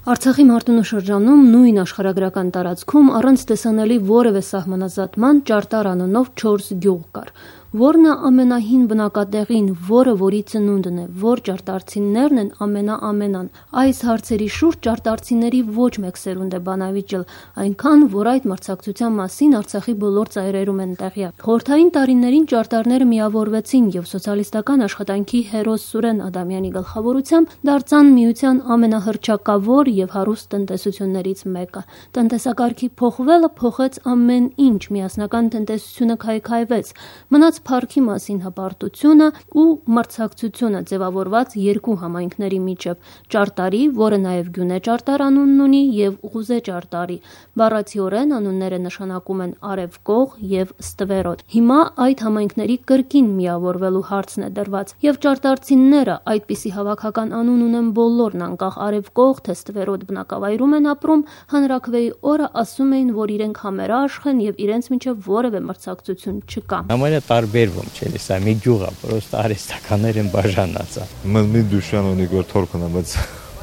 Արցախի Մարտունու շրջանում նույն աշխարհագրական տարածքում առանց տեսանելի որևէ սահմանազատման Ճարտար անունով 4 գյուղ կար, որն է ամենահին բնակատեղին, որը որի ծնունդն է, որ ճարտարցիներն են ամենան։ Այս հարցերի շուրջ ճարտարցիների ոչ մեկ սերունդ է բանավիճել, այնքան, որ այդ մրցակցության մասին Արցախի բոլոր ծայրերում են տեղյակ։ Խորհրդային տարիներին ճարտարները միավորվեցին եւ սոցիալիստական աշխատանքի հերոս Սուրեն Ադամյանի գլխավորությամբ դարձան միության ամենահռչակավոր եւ հարուստ տնտեսություններից մեկը։ Տնտեսակարգի փոխվելը փոխեց ամեն ինչ, միասնական տնտեսությունը քայքայվեց, մնաց փառքի մասին հպարտությունը ու մրցակցությունը ձևավորված երկու համայնքների միջև՝ Ճարտարի, որը նաեւ Գյունե Ճարտար անունն ունի, եւ Ղուզե Ճարտարի։ Բառացիորեն անունները նշանակում են արևկող եւ ստվերոտ։ Հիմա այդ համայնքների կրկին միավորվելու հարցն է դրված, եւ ճարտարցիները այդպիսի հավաքական անուն ունեն բոլորն, անկախ արևկող թե ստվերոտ բնակավայրում են ապրում, հանրաքվեի օրը ասում էին, որ իրենք համերաշխ են եւ իրենց միջև որևէ մրցակցություն չկա։ Համարյա տարբերվում չէ, սա մի գյուղ է, պրոստը արհեստականներ են բաժանած։ Մի դուշան ունի որ թորքն է, բայց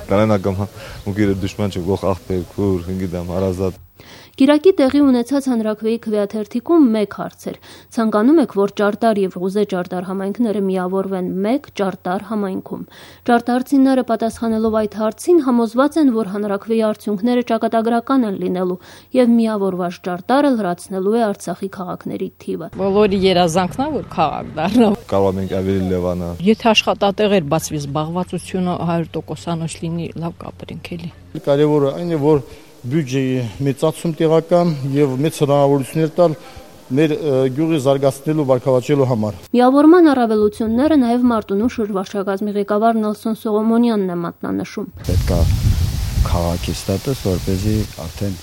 կանանական ու գիրը դուշման չէ, գող աղբեր, քուր, հնգիդամ, հարազատ։ Կիրակի տեղի ունեցած հանրաքվեի քվեաթերթիկում մեկ հարց էր. ցանկանում եք, որ Ճարտար եւ Ղուզե Ճարտար համայնքները միավորվեն մեկ Ճարտար համայնքում։ Ճարտարցիները պատասխանելով այդ հարցին համոզված են, որ հանրաքվեի արդյունքները ճակատագրական են լինելու եւ միավորված Ճարտարը լրացնելու է Արցախի քաղաքների թիվը։ Բոլորի երազանքն է, որ քաղաք դառնա։ Կարող ենք ավելի լևանա։ Եթե աշխատատեղեր բացվի, զբաղվածությունը 100%-անոց լինի, լավ կապրենք էլի։ Կարևորը այն է, որ բյուջեի մեծացում տեղական եւ մեծ հնարավորություններ տալ մեր գյուղի զարգացնելու վարկավաճելու համար։ Միավորման առավելությունները նաեւ Մարտունու շրջվարչակազմի ղեկավար Նելսոն Սողոմոնյանն է մատնանշում։ Պետք է քաղաքի ստատուս, որպեսզի արդեն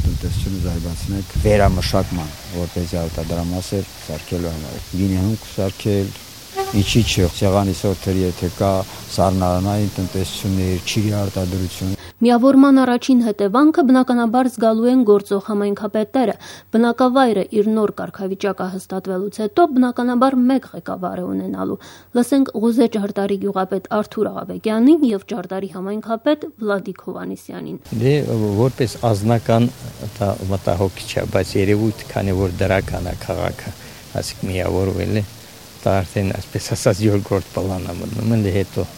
տնտեսությունը զարգացնենք վերամշակման, որպեսզի արտադրամասեր սարքելու համար։ Գինեհունք սարքել, ինչի՞ չէ, ցեղանի սորտերի եթե կա սառնարանային տնտեսություններ, ճիրի արտադրություն։ Միավորման առաջին հետևանքը բնականաբար զգալու են գործող համայնքապետերը։ Բնակավայրը իր նոր կարգավիճակը հստատվելուց հետո բնականաբար մեկ ղեկավար է ունենալու։ Լսենք Ղուզե Ճարտարի գյուղապետ Արթուր Աղաբեկյանին եւ Ճարտարի համայնքապետ Վլադիկ Հովանեսյանին։ Դե որպես ազնական դա մտահոգիչ է, բայց երևույթ քանի որ դրական է քաղաքը, ասիկ միավորվել է, դա արդեն այսպես ասած երկրորդ պլանա մնում է հետո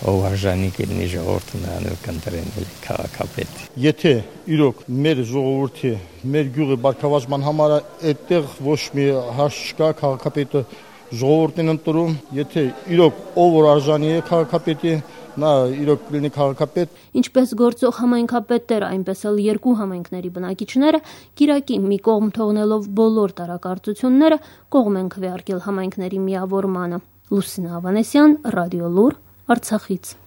ով արժանի կլինի ժողովուրդը նրանով կընտրեն քաղաքապետ։ Եթե իրոք մեր ժողովրդի, մեր գյուղի բարգավաճման համար այդտեղ ոչ մի հարց չկա, քաղաքապետը ժողովուրդն են ընտրում, եթե իրոք ով որ արժանի է քաղաքապետի, նա իրոք լինի քաղաքապետ։ Ինչպես գործող համայնքապետերը, այնպես էլ երկու համայնքների բնակիչները կիրակի մի կողմ թողնելով բոլոր տարակարծությունները կողմ են քվեարկել համայնքների միավորմանը։ Լուսինե Ավանեսյան, Ռադիո Լուր, Արցախից։